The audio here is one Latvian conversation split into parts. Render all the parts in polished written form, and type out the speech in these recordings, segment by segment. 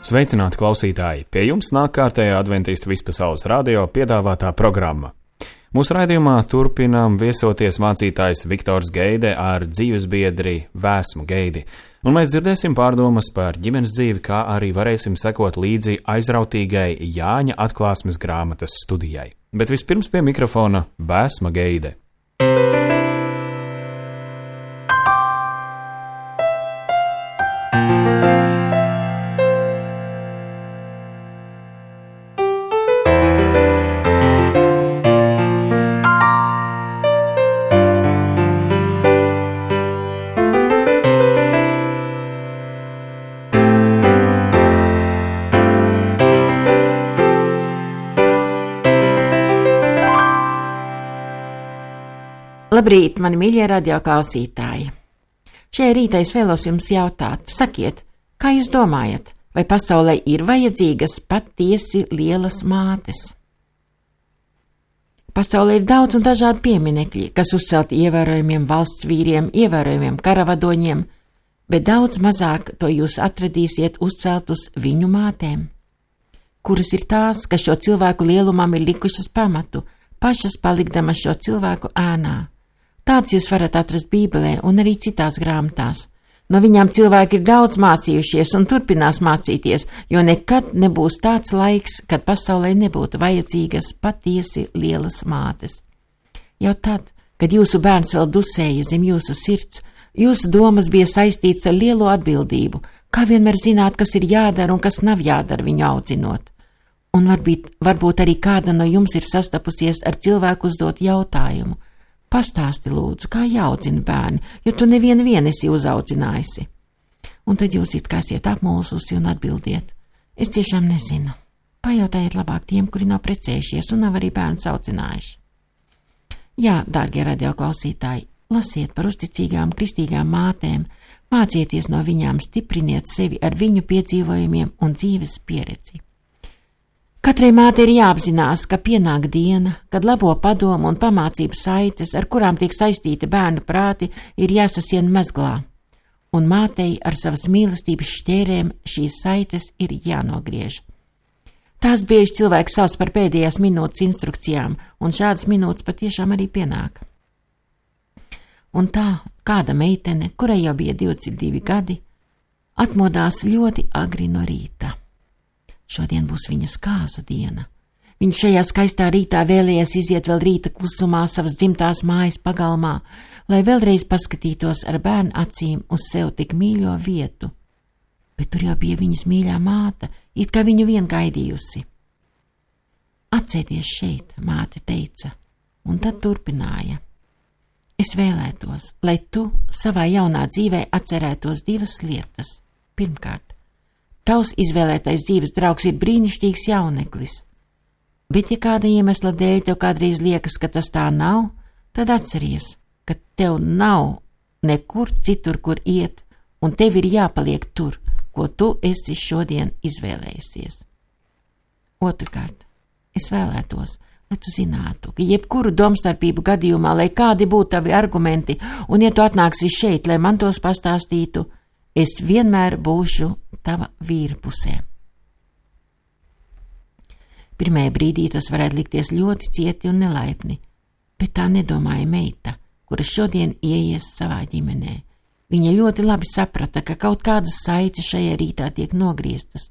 Sveicināti klausītāji! Pie jums nāk kārtējā Adventistu vispasaules radio piedāvātā programma. Mūsu raidījumā turpinām viesoties mācītājs Viktors Geide ar dzīvesbiedri Vēsmu Geidi, un mēs dzirdēsim pārdomas par ģimenes dzīvi, kā arī varēsim sekot līdzi aizrautīgai Jāņa atklāsmes grāmatas studijai. Bet vispirms pie mikrofona Vēsma Geide. Labrīt, mani mīļie radio klausītāji! Šajā rītā es vēlos jums jautāt, sakiet, kā jūs domājat, vai pasaulē ir vajadzīgas patiesi lielas mātes? Pasaulē ir daudz un dažādi pieminekļi, kas uzcelti ievērojumiem valsts vīriem, ievērojumiem karavadoņiem, bet daudz mazāk to jūs atradīsiet uzceltus viņu mātēm. Kuras ir tās, kas šo cilvēku lielumam ir likušas pamatu, pašas palikdamas šo cilvēku ēnā? Tāds jūs varat atrast Bībelē un arī citās grāmatās. No viņām cilvēki ir daudz mācījušies un turpinās mācīties, jo nekad nebūs tāds laiks, kad pasaulē nebūtu vajadzīgas patiesi lielas mātes. Jau tad, kad jūsu bērns vēl dusēja zem jūsu sirds, jūsu domas bija saistīts ar lielo atbildību, kā vienmēr zināt, kas ir jādara un kas nav jādara viņu audzinot. Un varbūt arī kāda no jums ir sastapusies ar cilvēku uzdot jautājumu. Pastāsti lūdzu, kā jāaudzina bērni, jo tu nevienu esi uzaudzinājusi. Un tad jūs it kā esiet apmulsusi un atbildiet. Es tiešām nezinu. Pajautājiet labāk tiem, kuri nav precējušies un nav arī bērns audzinājuši. Jā, dārgie radioklausītāji, lasiet par uzticīgām kristīgām mātēm, mācieties no viņām, stipriniet sevi ar viņu piedzīvojumiem un dzīves pieredzi. Katrai mātei ir jāapzinās, ka pienāk diena, kad labo padomu un pamācību saites, ar kurām tiek saistīti bērnu prāti, ir jāsasien mezglā, un mātei ar savas mīlestības šķērēm šīs saites ir jānogriež. Tās bieži cilvēks sauc par pēdējās minūtes instrukcijām, un šādas minūtes patiešām arī pienāk. Un tā kāda meitene, kurai jau bija 22 gadi, atmodās ļoti agri no rīta. Šodien būs viņas kāzu diena. Viņš šajā skaistā rītā vēlējies iziet vēl rīta klusumā savas dzimtās mājas pagalmā, lai vēlreiz paskatītos ar bērnu acīm uz sev tik mīļo vietu. Bet tur jau bija viņas mīļā māte, it kā viņu vien gaidījusi. Atsēdies šeit, māte teica, un tad turpināja. Es vēlētos, lai tu savā jaunā dzīvē atcerētos divas lietas. Pirmkārt, tavs izvēlētais dzīves draugs ir brīnišķīgs jauneklis, bet ja kāda iemesla dēļ tev kādreiz liekas, ka tas tā nav, tad atceries, ka tev nav nekur citur, kur iet, un tev ir jāpaliek tur, ko tu esi šodien izvēlējusies. Otrkārt, es vēlētos, lai tu zinātu, ka jebkuru domstarpību gadījumā, lai kādi būtu tavi argumenti, un ja tu atnāksi šeit, lai man tos pastāstītu, es vienmēr būšu tava vīra pusē. Pirmajā brīdī tas varētu likties ļoti cieti un nelaipni, bet tā nedomāja meita, kura šodien ieies savā ģimenē. Viņa ļoti labi saprata, ka kaut kādas saites šajā rītā tiek nogrieztas,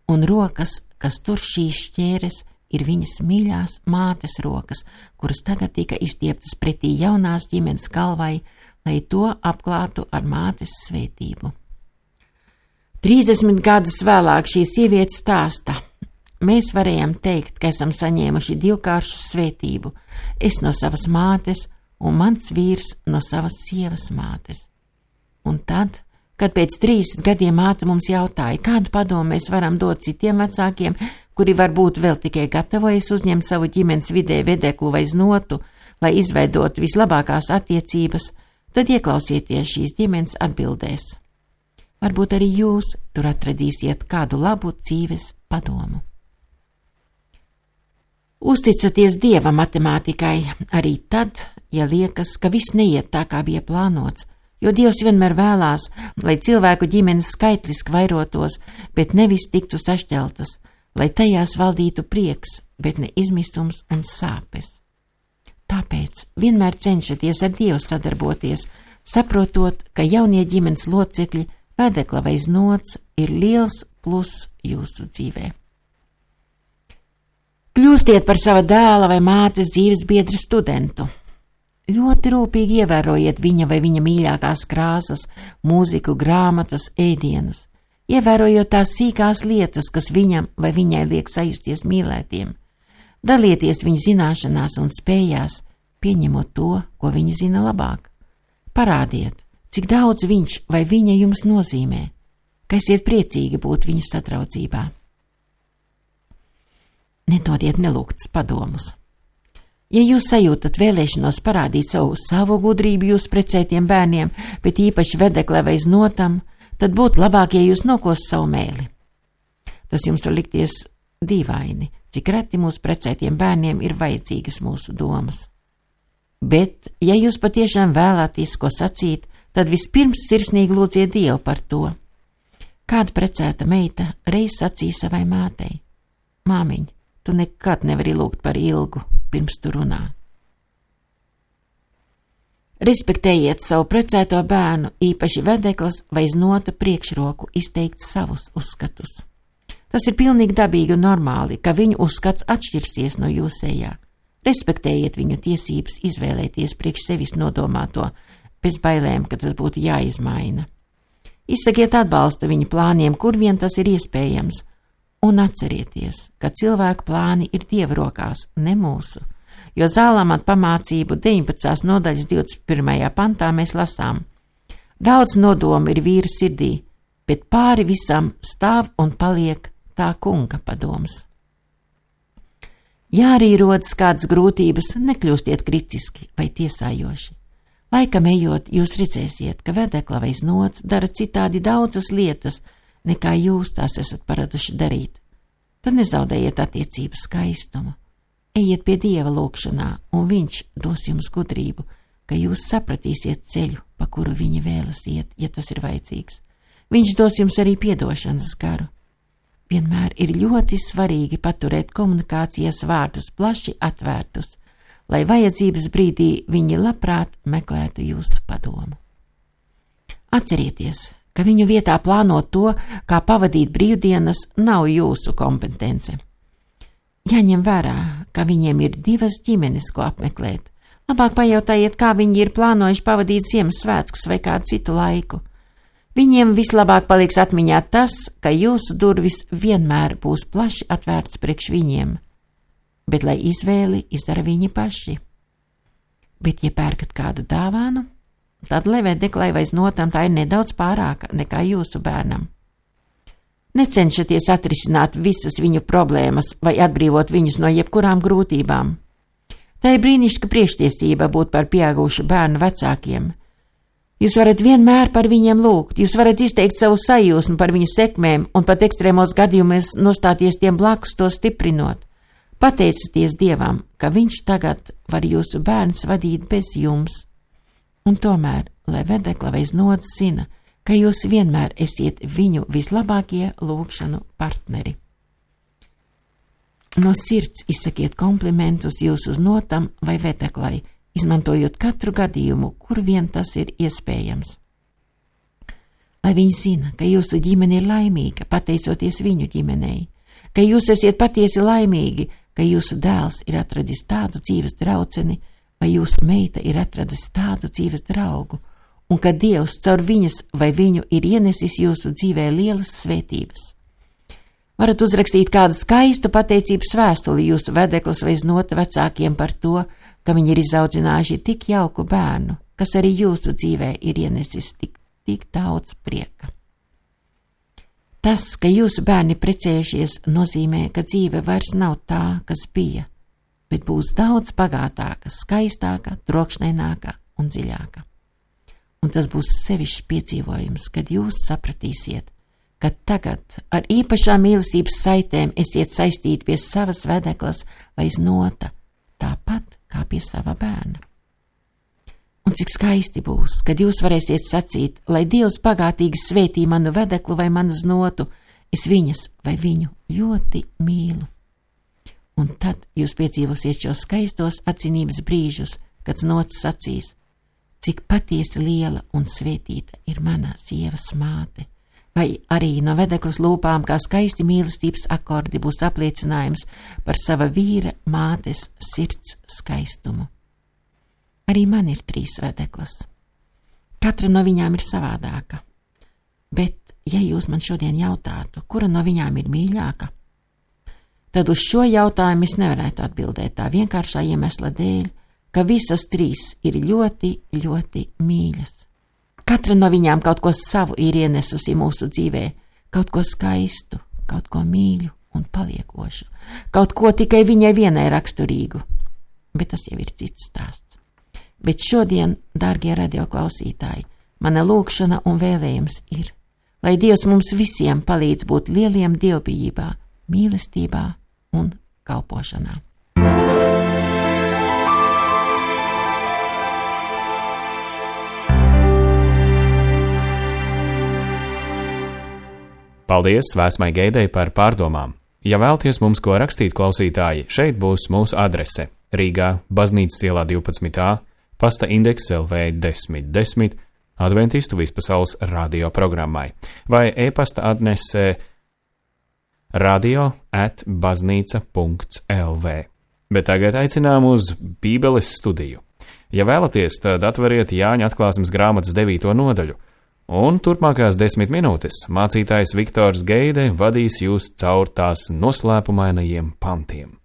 un rokas, kas tur šīs šķēres, ir viņas mīļās mātes rokas, kuras tagad tika izstieptas pretī jaunās ģimenes galvai, lai to apklātu ar mātes svētību. 30 gadus vēlāk šī sieviete stāsta. Mēs varējām teikt, ka esam saņēmuši divkāršu svētību, es no savas mātes un mans vīrs no savas sievas mātes. Un tad, kad pēc 30 gadiem māte mums jautāja, kādu padomu mēs varam dot citiem vecākiem, kuri varbūt vēl tikai gatavojas uzņemt savu ģimenes vidē vedeklu vai znotu, lai izveidot vislabākās attiecības, tad ieklausieties šīs ģimenes atbildēs. Varbūt arī jūs tur atradīsiet kādu labu dzīves padomu. Uzticaties Dieva matemātikai arī tad, ja liekas, ka viss neiet tā, kā bija plānots, jo Dievs vienmēr vēlās, lai cilvēku ģimenes skaitliski vairotos, bet nevis tiktu sašķeltas, lai tajās valdītu prieks, bet ne izmisums un sāpes. Tāpēc vienmēr cenšaties ar Dievu sadarboties, saprotot, ka jaunie ģimenes locekļi, vedekla vai znots, ir liels pluss jūsu dzīvē. Kļūstiet par sava dēla vai mātes dzīves biedra studentu. Ļoti rūpīgi ievērojiet viņa vai viņa mīļākās krāsas, mūziku, grāmatas, ēdienus, ievērojot tās sīkās lietas, kas viņam vai viņai liek sajusties mīlētiem. Dalieties viņa zināšanās un spējās, pieņemot to, ko viņa zina labāk. Parādiet, cik daudz viņš vai viņa jums nozīmē, ka esiet priecīgi būt viņa sadraudzībā. Nedodiet nelūgtus padomus. Ja jūs sajūtat vēlēšanos parādīt savu gudrību jūsu precētiem bērniem, bet īpaši vedeklē vai znotam, tad būtu labāk, ja jūs nokos savu mēli. Tas jums var likties dīvaini, cik reti mūsu precētiem bērniem ir vajadzīgas mūsu domas. Bet, ja jūs patiešām vēlaties ko sacīt, tad vispirms sirsnīgi lūdziet Dievu par to. Kāda precēta meita reiz sacīja savai mātei: Māmiņ, tu nekad nevari lūgt par ilgu, pirms tu runā. Respektējiet savu precēto bērnu, īpaši vedeklas vai znota priekšroku izteikt savus uzskatus. Tas ir pilnīgi dabīgi un normāli, ka viņu uzskats atšķirsies no jūsējā. Respektējiet viņu tiesības izvēlēties priekš sevis nodomāto, bez bailēm, ka tas būtu jāizmaina. Izsakiet atbalstu viņu plāniem, kur vien tas ir iespējams, un atcerieties, ka cilvēku plāni ir Dieva rokās, ne mūsu, jo Zālamata pamācību 19. nodaļas 21. pantā mēs lasām: Daudz nodomu ir vīra sirdī, bet pāri visam stāv un paliek tā kunga padoms. Ja arī rodas kādas grūtības, nekļūstiet kritiski vai tiesājoši. Laikam ejot, jūs redzēsiet, ka vedekla vai znots dara citādi daudzas lietas, nekā jūs tās esat paraduši darīt. Tad nezaudējiet attiecību skaistumu. Ejiet pie Dieva lūgšanā, un viņš dos jums gudrību, ka jūs sapratīsiet ceļu, pa kuru viņa vēlas iet, ja tas ir vajadzīgs. Viņš dos jums arī piedošanas garu. Vienmēr ir ļoti svarīgi paturēt komunikācijas vārdus plaši atvērtus, lai vajadzības brīdī viņi labprāt meklētu jūsu padomu. Atcerieties, ka viņu vietā plānot to, kā pavadīt brīvdienas, nav jūsu kompetence. Jāņem vērā, ka viņiem ir 2 ģimenes, ko apmeklēt. Labāk pajautājiet, kā viņi ir plānojuši pavadīt Ziemassvētkus vai kādu citu laiku. Viņiem vislabāk paliks atmiņā tas, ka jūsu durvis vienmēr būs plaši atvērts priekš viņiem, bet lai izvēli izdara viņi paši. Bet, ja pērkat kādu dāvānu, tad lai vedeklai vai znotam tā ir nedaudz pārāka nekā jūsu bērnam. Necenšaties atrisināt visas viņu problēmas vai atbrīvot viņus no jebkurām grūtībām. Tā ir brīnišķīga priekštiesība būt par pieaugušu bērnu vecākiem. Jūs varat vienmēr par viņiem lūgt, jūs varat izteikt savu sajūsmu par viņu sekmēm un pat ekstrēmos gadījumos nostāties tiem blakus, to stiprinot. Pateicieties Dievam, ka viņš tagad var jūsu bērns vadīt bez jums. Un tomēr, lai vedekla vai znots zina, ka jūs vienmēr esiet viņu vislabākie lūgšanu partneri. No sirds izsakiet komplimentus jūsu znotam vai vedeklai, izmantojot katru gadījumu, kur vien tas ir iespējams. Lai viņi zina, ka jūsu ģimene ir laimīga, pateicoties viņu ģimenei, ka jūs esiet patiesi laimīgi, ka jūsu dēls ir atradis tādu dzīves draudzeni, vai jūsu meita ir atradusi tādu dzīves draugu, un ka Dievs caur viņas vai viņu ir ienesis jūsu dzīvē lielas svētības. Varat uzrakstīt kādu skaistu pateicības vēstuli jūsu vedeklas vai znota vecākiem par to, ka viņi ir izaudzinājuši tik jauku bērnu, kas arī jūsu dzīvē ir ienesis tik daudz prieka. Tas, ka jūsu bērni precējušies, nozīmē, ka dzīve vairs nav tā, kas bija, bet būs daudz bagātāka, skaistāka, trokšņaināka un dziļāka. Un tas būs sevišķs piedzīvojums, kad jūs sapratīsiet, ka tagad ar īpašām mīlestības saitēm esiet saistīti pie savas vedeklas vai znota, tāpat kā pie sava bērna. Un cik skaisti būs, kad jūs varēsiet sacīt, lai Dievs bagātīgi svētī manu vedeklu vai manu znotu, es viņas vai viņu ļoti mīlu. Un tad jūs piedzīvosiet šos skaistos atzinības brīžus, kad znots sacīs, cik patiesi liela un svētīta ir mana sievas māte, vai arī no vedeklas lūpām kā skaisti mīlestības akordi būs apliecinājums par sava vīra mātes sirds skaistumu. Arī man ir 3 vedeklas. Katra no viņām ir savādāka, bet, ja jūs man šodien jautātu, kura no viņām ir mīļāka, tad uz šo jautājumu es nevarētu atbildēt tā vienkāršā iemesla dēļ, ka visas 3 ir ļoti, ļoti mīļas. Katra no viņām kaut ko savu ir ienesusi mūsu dzīvē, kaut ko skaistu, kaut ko mīļu un paliekošu, kaut ko tikai viņai vienai raksturīgu, bet tas jau ir cits stāsts. Bet šodien, dārgie radioklausītāji, mana lūgšana un vēlējums ir, lai Dievs mums visiem palīdz būt lieliem dievbijībā, mīlestībā un kalpošanā. Paldies Vēsmai Geidei par pārdomām. Ja vēlties mums ko rakstīt, klausītāji, šeit būs mūsu adrese Rīgā, Baznīcas ielā 12a, pasta indeks LV 1010, Adventistu vispasaules radio programmai, vai e-pasta adrese radio@baznīca.lv. Bet tagad aicinām uz Bībeles studiju. Ja vēlaties, tad atveriet Jāņa atklāsmes grāmatas 9. nodaļu, un turpmākās 10 minūtes mācītājs Viktors Geide vadīs jūs caur tās noslēpumainajiem pantiem.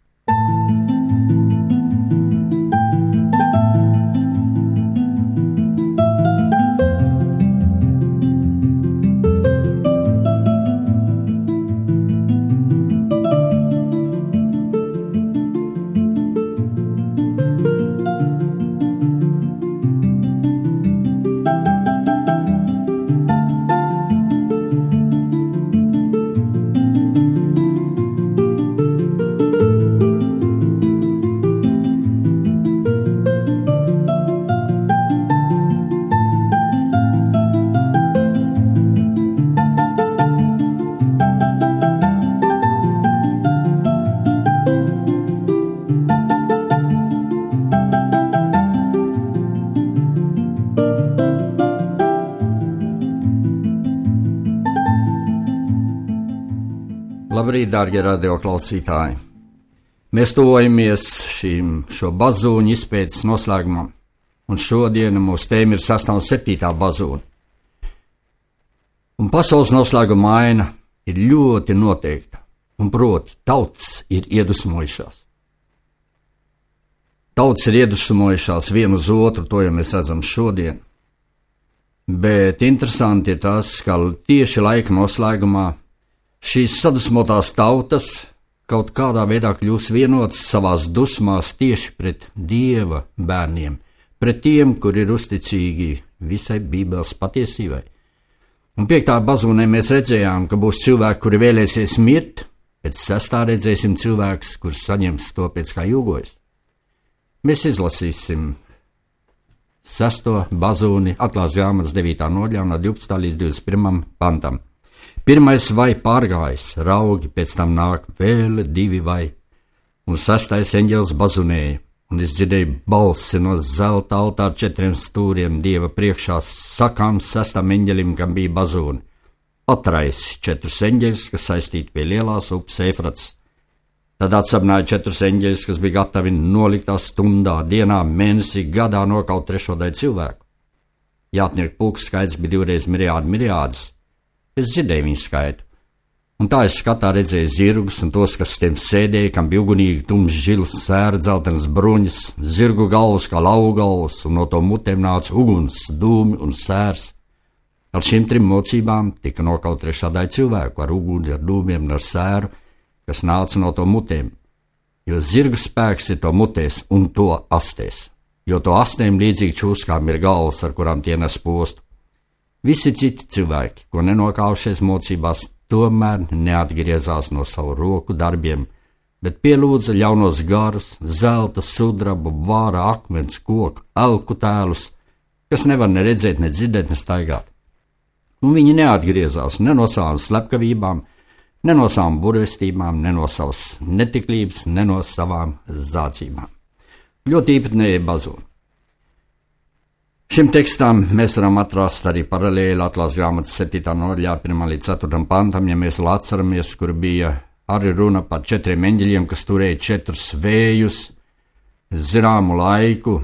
Labrīt, dārgie radioklausītāji! Mēs tuvojamies šo bazūņu izpētes noslēgumam, un šodien mūsu tēma ir 6. un 7. bazūņa. Un pasaules noslēguma aina ir ļoti noteikta, un proti, tautas ir iedusmojušās. Tautas ir iedusmojušās vienu uz otru, to jau mēs redzam šodien. Bet interesanti ir tas, ka tieši laika noslēgumā šīs sadusmotās tautas kaut kādā veidā kļūs vienotas savās dusmās tieši pret Dieva bērniem, pret tiem, kur ir uzticīgi visai Bībeles patiesībai. Un 5. bazūnē mēs redzējām, ka būs cilvēki, kuri vēlēsies mirt, pēc 6. redzēsim cilvēkus, kurus saņems to pēc kā jūgojas. Mēs izlasīsim 6. bazūni atklāsmes grāmatas 9. nodaļā no 12. līdz 21. pantam. Pirmais vai pārgājis, raugi, pēc tam nāk vēl 2 vai, un 6. eņģelis bazunēja, un es dzirdēju balsi no zelta altāra 4 stūriem Dieva priekšā, sakāms 6. eņģelim, kam bija bazūni. Atraisi 4 eņģeļus, kas saistīti pie lielās upes Eifrates. Tad atsapnāja 4 eņģeļus, kas bija gatavi noliktā stundā, dienā, mēnesī, gadā nokaut 3. daļu cilvēku. Jātnieku pulks skaits bija 2 reizes miriādus. Es dzirdēju viņu skaitu, un tā es skatā redzēju zirgus un tos, kas tiem sēdēja, kam bija ugunīgi tumšs žils, sēra, dzeltenas bruņas, zirgu galvas kā laugu galvas, un no to mutēm nāca uguns, dūmi un sērs. Ar šīm 3 mocībām tika nokaut 3. daļa cilvēku ar uguni, ar dūmiem un ar sēru, kas nāca no to mutēm, jo zirgu spēks ir to mutēs un to astēs, jo to astēm līdzīgi čūskām ir galvas, ar kurām tie nes postu. Visi citi cilvēki, ko nenokaušies mocībās, tomēr neatgriezās no savu roku darbiem, bet pielūdza ļaunos garus, zelta, sudrabu, vāra, akmens, koku, elku tēlus, kas nevar ne redzēt, ne dzirdēt, ne staigāt. Un viņi neatgriezās ne no savām slepkavībām, ne no savām burvestībām, ne no savas netiklības, ne no savām zādzībām. Ļoti īpatnēja bazūna. Šim tekstam mēs varam atrast arī paralēli Atklāsmes grāmatas 7. nodaļā 1. līdz 4. pantam, ja mēs vēl atceramies, kur bija arī runa par 4 eņģeļiem, kas turēja 4 vējus, zināmu laiku,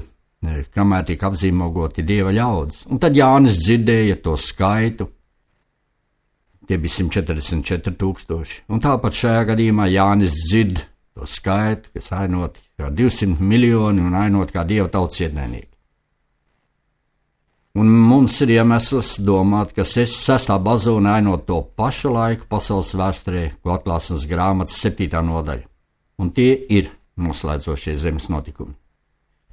kamēr tika apzīmogoti Dieva ļaudis. Un tad Jānis dzirdēja to skaitu, tie bija 144,000. Un tāpat šajā gadījumā Jānis dzird to skaitu, kas ainot kā 200 miljoni un ainot kā Dieva tautas ienaidnieki. Un mums ir iemesls domāt, ka 6. bazūna ainot to pašu laiku pasaules vēsturē, ko Atklāsmes grāmatas 7. nodaļa. Un tie ir noslēdzošie zemes notikumi.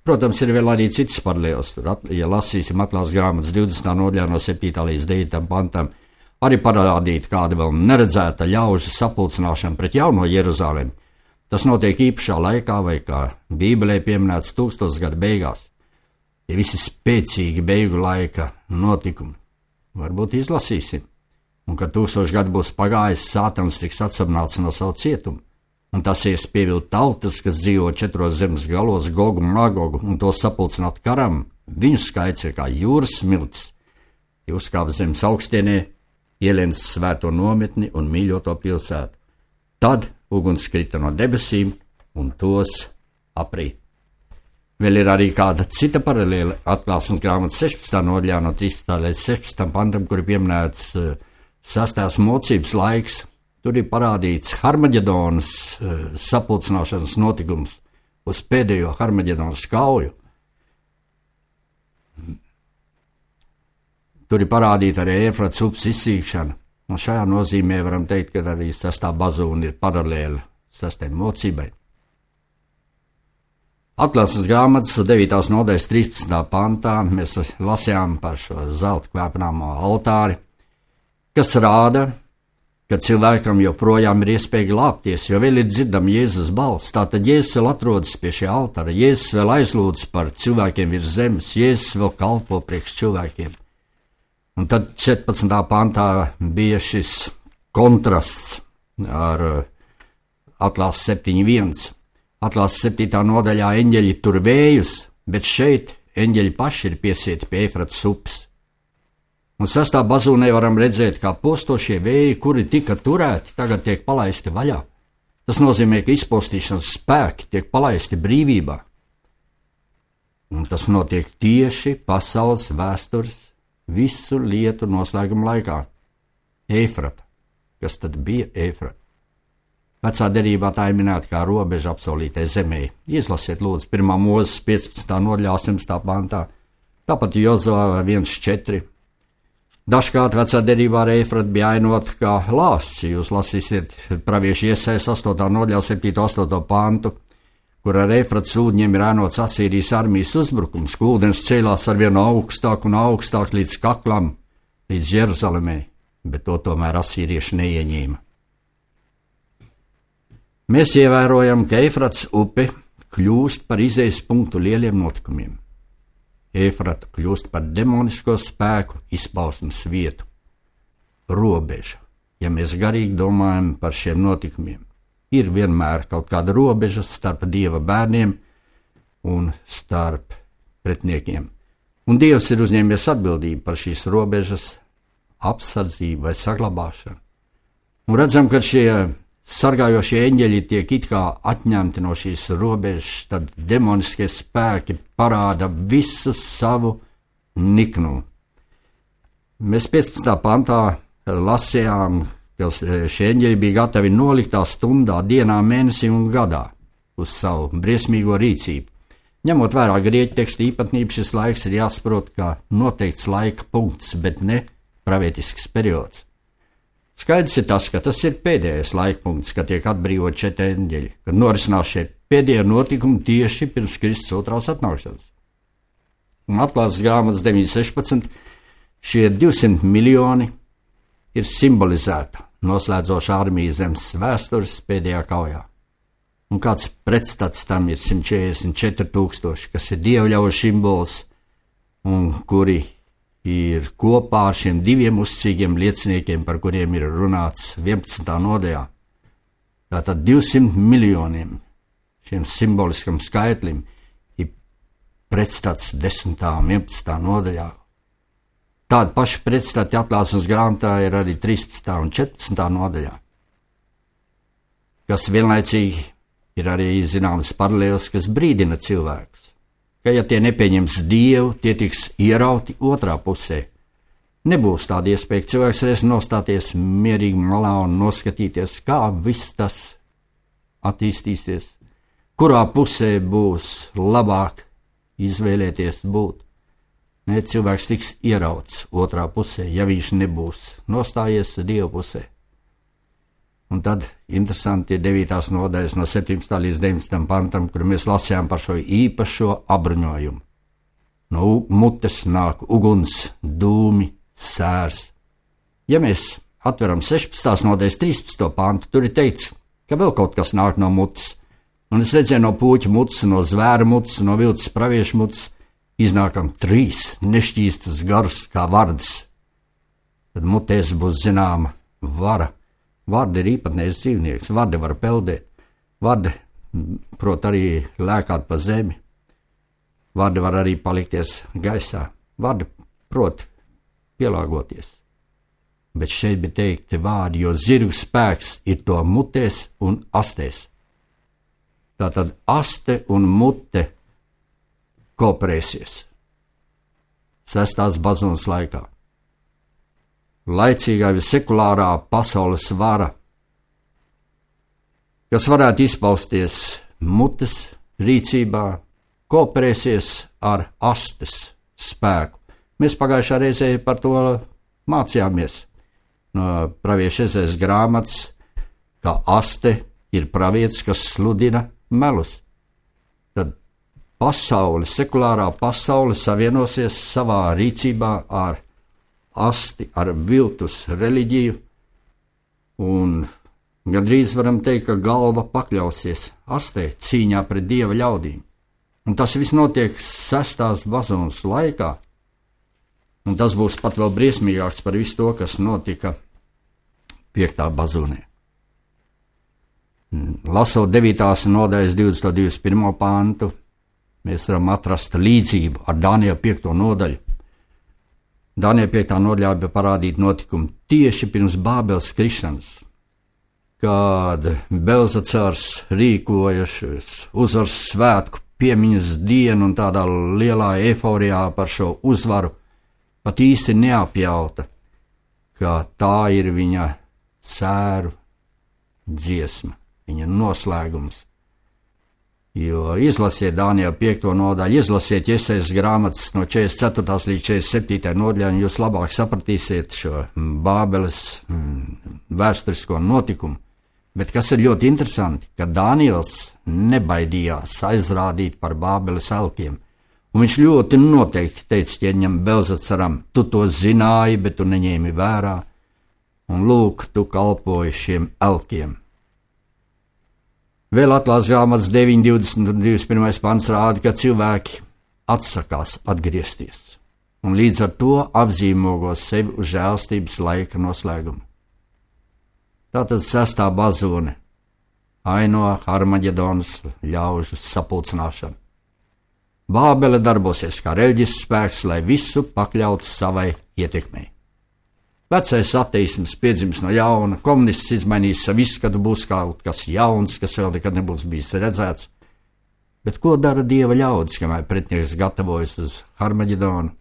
Protams, ir vēl arī cits paralēls. Ja lasīsim Atklāsmes grāmatas 20. nodaļā no 7. līdz 9. pantam, arī parādīt kāda vēl neredzēta ļaužu sapulcināšana pret jauno Jeruzalemi. Tas notiek īpašā laikā, vai kā Bībelē pieminēts 1000 gadu beigās. Tie visi spēcīgi beigu laika notikumi. Varbūt izlasīsim. Un, kad 1000 gadu būs pagājis, Sātans tiks atsabināts no savu cietumu. Un tas ies pievilt tautas, kas dzīvo 4 zemes galos, Gogu un Magogu, un to sapulcināt karam. Viņu skaits ir kā jūras smilts. Tie uzkāpa zemes augstienē, ielēns svēto nometni un mīļoto pilsētu. Tad uguns krita no debesīm un tos aprīt. Vēl ir arī kāda cita paralēla Atklāsmes grāmatas 16. nodaļā no 13. līdz 16. pantam, kur ir pieminēts 6. mocības laiks. Tur ir parādīts Harmaģedonas sapulcināšanas notikums uz pēdējo Harmaģedonas kauju. Tur ir parādīta arī Eifrates upes izsīkšana. Un šajā nozīmē varam teikt, ka arī 6. bazūna ir paralēla 6. mocībai. Atklāsmes grāmatas 9. nodaļas 13. pantā mēs lasījām par šo zelta kvēpināmo altāri, kas rāda, ka cilvēkam joprojām ir iespēja glābties, jo vēl ir dzirdama Jēzus balss. Tātad Jēzus vēl atrodas pie šī altāra, Jēzus vēl aizlūdz par cilvēkiem virs zemes, Jēzus vēl kalpo priekš cilvēkiem. Un tad 14. pantā bija šis kontrasts ar Atklāsmes 7.1. Atklāsmes 7. nodaļā eņģeļi tur vējus, bet šeit eņģeļi paši ir piesieti pie Eifrates upes. Un 6. bazūnē varam redzēt, kā postošie vēji, kuri tika turēti, tagad tiek palaisti vaļā. Tas nozīmē, ka izpostīšanas spēki tiek palaisti brīvībā. Un tas notiek tieši pasaules vēstures visu lietu noslēguma laikā. Eifrata. Kas tad bija Eifrata? Vecā derībā tā ir minēta kā robeža apsolītai zemē. Izlasiet lūdzu 1. Mūzes 15. nodaļā 18. pantā, tāpat Jozua 1.4. Dažkārt vecā derībā ar Eifratu bija ainota kā lāsts. Jūs lasīsiet praviešu Iesajas 8. nodaļā 7.8. pantu, kur ar Eifratas ūdeņiem ir ainots Asīrijas armijas uzbrukums, ka ūdens cēlās arvien augstāk un augstāk līdz kaklam, līdz Jeruzalemē, bet to tomēr asīrieši neieņēma. Mēs ievērojam, ka Eifratas upe kļūst par izējas punktu lieliem notikumiem. Eifrata kļūst par demonisko spēku izpausmes vietu. Robeža, ja mēs garīgi domājam par šiem notikumiem, ir vienmēr kaut kāda robeža starp Dieva bērniem un starp pretniekiem. Un Dievs ir uzņēmies atbildību par šīs robežas apsardzību vai saglabāšanu. Un redzam, ka šie sargājošie eņģeļi tiek it kā atņemti no šīs robežas, tad demoniskie spēki parāda visu savu niknumu. Mēs 15. pantā lasījām, ka šie eņģeļi bija gatavi noliktā stundā, dienā, mēnesī un gadā uz savu briesmīgo rīcību. Ņemot vērā grieķu tekstu īpatnību, šis laiks ir jāsaprot kā noteikts laika punkts, bet ne pravietisks periods. Skaidrs ir tas, ka tas ir pēdējais laikpunkts, kad tiek atbrīvot 4 eņģeļi, kad norisinās šie pēdējie notikumi tieši pirms Kristus otrās atnākšanas. Un Atklāsmes grāmatas 9.16 šie 200 miljoni ir simbolizēta noslēdzoša armija zemes vēstures pēdējā kaujā. Un kāds pretstats tam ir 144,000, kas ir dievļaužu simbols, un kuri ir kopā ar šiem diviem uzticīgiem lieciniekiem, par kuriem ir runāts 11. nodaļā. Tātad 200 miljoniem šiem simboliskam skaitlim ir pretstats 10. un 11. nodaļā. Tāda paša pretstati atklāsmes grāmatā ir arī 13. un 14. nodaļā, kas vienlaicīgi ir arī zināmas paralēles, kas brīdina cilvēkus, ka ja tie nepieņems Dievu, tie tiks ierauti otrā pusē. Nebūs tāda iespēja, ka cilvēks reiz nostāties mierīgi malā un noskatīties, kā viss tas attīstīsies, kurā pusē būs labāk izvēlēties būt. Ne, cilvēks tiks ierauts otrā pusē, ja viņš nebūs nostājies Dieva pusē. Un tad interesanti ir 9. nodaļas no 17. līdz 19. pantam, kur mēs lasījām par šo īpašo apbruņojumu. No mutes nāk uguns, dūmi, sērs. Ja mēs atveram 16. nodaļas 13. pantu, tur ir teikts, ka vēl kaut kas nāk no mutes. Un es redzēju no puķa mutes, no zvēra mutes, no vilces pravieša mutes, iznākam 3 nešķīstus garus kā vardas. Tad mutēs būs zināma vara. Varde ir īpatnējs dzīvnieks, varde var peldēt, varde prot arī lēkāt pa zemi, varde var arī palikties gaisā, varde prot pielāgoties. Bet šeit bija teikti vārdi, jo zirgu spēks ir to mutēs un astēs. Tātad aste un mute kooperēsies 6. bazunas laikā. Laicīgā vai sekulārā pasaules vara, kas varētu izpausties mutes rīcībā, kooperēsies ar astes spēku. Mēs pagājušā reizē par to mācījāmies no pravieša Ezējas grāmatas, ka aste ir pravietis, kas sludina melus. Tad pasaule, sekulārā pasaule savienosies savā rīcībā ar asti, ar viltus reliģiju, un gandrīz varam teikt, ka galva pakļausies astē cīņā pret Dieva ļaudīm. Un tas viss notiek 6. bazunas laikā, un tas būs pat vēl briesmīgāks par visu to, kas notika 5. bazunē. Lasot 9. nodaļas 21. pantu, mēs varam atrast līdzību ar Daniela 5. nodaļu. Daniela 5. nodaļā bija parādīta notikumi tieši pirms Bābeles krišanas, kad Belzacars rīkoja uzvaras svētku piemiņas dienu un tādā lielā eiforijā par šo uzvaru pat īsti neapjauta, ka tā ir viņa sēru dziesma, viņa noslēgums. Jo izlasiet Daniela 5. nodaļu, izlasiet Iesaijas grāmatas no 44. līdz 47. nodaļai, un jūs labāk sapratīsiet šo Bābeles vēsturisko notikumu. Bet kas ir ļoti interesanti, ka Daniels nebaidījās aizrādīt par Bābeles elkiem. Un viņš ļoti noteikti teica ķēniņam Belzacaram, tu to zināji, bet tu neņēmi vērā, un lūk, tu kalpoji šiem elkiem. Vēl atklāsmes grāmatas 9, 20 un 21. pants rāda, ka cilvēki atsakās atgriezties, un līdz ar to apzīmogo sevi uz žēlstības laika noslēgumu. Tātad 6. bazūne aino Harmaģedonas ļaužu sapulcināšanu. Bābele darbosies kā reliģisks spēks, lai visu pakļautu savai ietekmei. Vecais ateisms piedzims no jauna, komunists izmainīs savu izskatu, būs kaut kas jauns, kas vēl nekad nebūs bijis redzēts. Bet ko dara Dieva ļaudis, kamēr pretinieks gatavojas uz Harmaģedonu?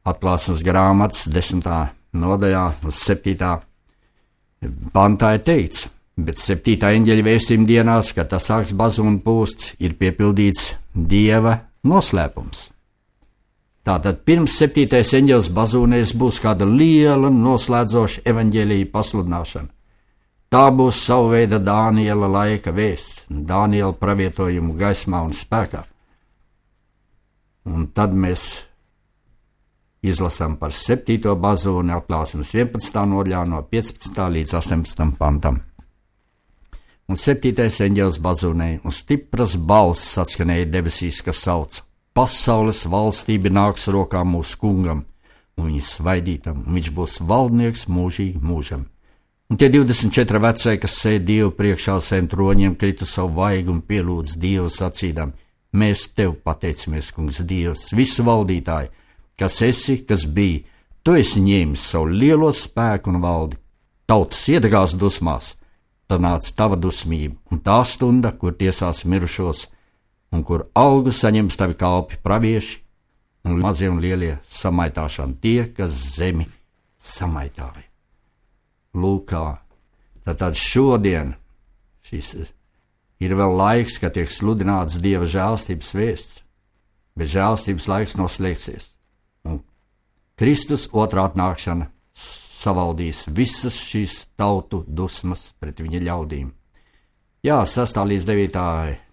Atklāsmes grāmatas 10. nodaļā uz 7. pantā ir teikts, bet 7. eņģeļa vēstījuma dienās, kad tas sāks bazūnu pūsts, ir piepildīts Dieva noslēpums. Tātad pirms 7. eņģeļa bazūnēs būs kāda liela noslēdzoša evaņģēlija pasludināšana. Tā būs sava veida Daniela laika vēsts, Daniela pravietojumu gaismā un spēkā. Un tad mēs izlasām par 7. bazūni atklāsmes 11. nodaļā no 15. līdz 18. pantam. Un 7. eņģelis bazūnēja, un stipras balss atskanēja debesīs, kas sauca: pasaules valstība nāks rokā mūsu kungam un viņa svaidītam, un viņš būs valdnieks mūžīgi mūžam. Un tie 24 vecie, kas sēd Dievu priekšā uz saviem troņiem, krita savu vaigu un pielūdz Dievu sacīdam: Mēs tev pateicamies, kungs Dievs, visu valdītāji, kas esi, kas bija, tu esi ņēmis savu lielo spēku un valdi. Tautas iedegās dusmās, tad nāca tava dusmība, un tā stunda, kur tiesās mirušos, un kur algu saņems tavi kalpi pravieši, un mazie un lielie samaitāšana tie, kas zemi samaitāja. Lūkā, tad šodien šis ir vēl laiks, kad tiek sludināts Dieva žēlstības vēsts, bet žēlstības laiks noslēgsies, un Kristus otrā atnākšana savaldīs visas šīs tautu dusmas pret viņa ļaudīm. Jā, 6. līdz 9.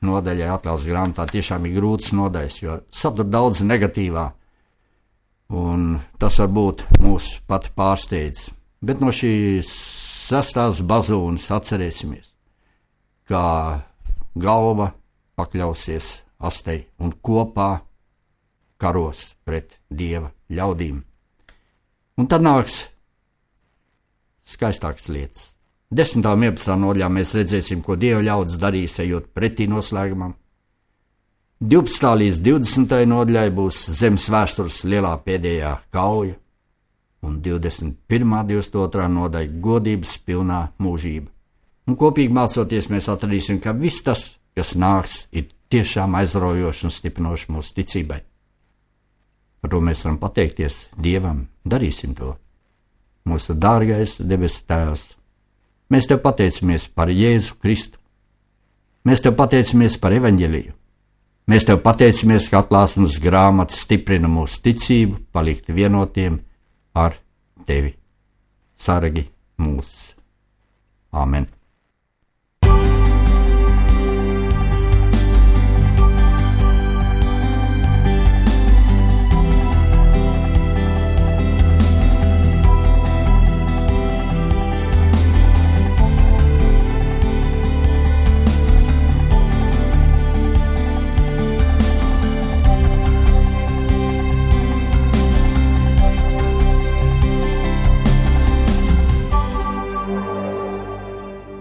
nodaļai atklāsmes grāmatā tiešām ir grūtas nodaļas, jo satur daudz negatīvā, un tas varbūt mūs pat pārsteidz. Bet no šīs 6. bazūnas atcerēsimies, kā galva pakļausies astei un kopā karos pret Dieva ļaudīm. Un tad nāks skaistākas lietas. 10. un 11. nodaļā mēs redzēsim, ko Dieva ļaudis darīs, ejot pretī noslēgumam. 12. līdz 20. nodaļai būs zemes vēstures lielā pēdējā kauja, un 21. 22. nodaļa godības pilnā mūžība. Un kopīgi mācoties mēs atradīsim, ka viss tas, kas nāks, ir tiešām aizraujoši un stiprinoši mūsu ticībai. Par to mēs varam pateikties Dievam, darīsim to. Mūsu dārgais debesu Tēvs, mēs Tev pateicamies par Jēzu Kristu. Mēs Tev pateicamies par evaņģeliju. Mēs Tev pateicamies, ka atklāsmes grāmata stiprina mūsu ticību, palikt vienotiem ar Tevi. Sargi mūs. Āmen.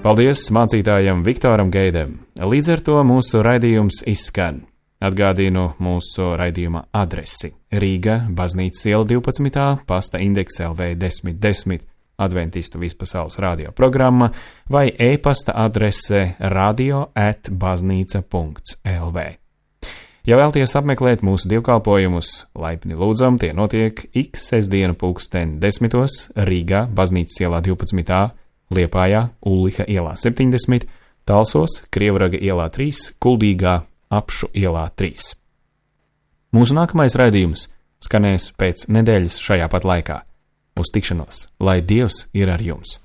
Paldies mācītājam Viktoram Geidem. Līdz ar to mūsu raidījums izskan. Atgādinu mūsu raidījuma adresi: Rīga, Baznīcas iela 12, pasta indeks LV 1010, Adventistu vispasaules radio programma vai e-pasta adrese radio@baznīca.lv. Ja vēlties apmeklēt mūsu dievkalpojumus, laipni lūdzam, tie notiek ik sestdienu pulksten 10 Rīgā, Baznīcas ielā 12, Liepājā, Ulliha ielā 70, Talsos, Krievraga ielā 3, Kuldīgā, Apšu ielā 3. Mūsu nākamais raidījums skanēs pēc nedēļas šajā pat laikā. Uz tikšanos, lai Dievs ir ar jums!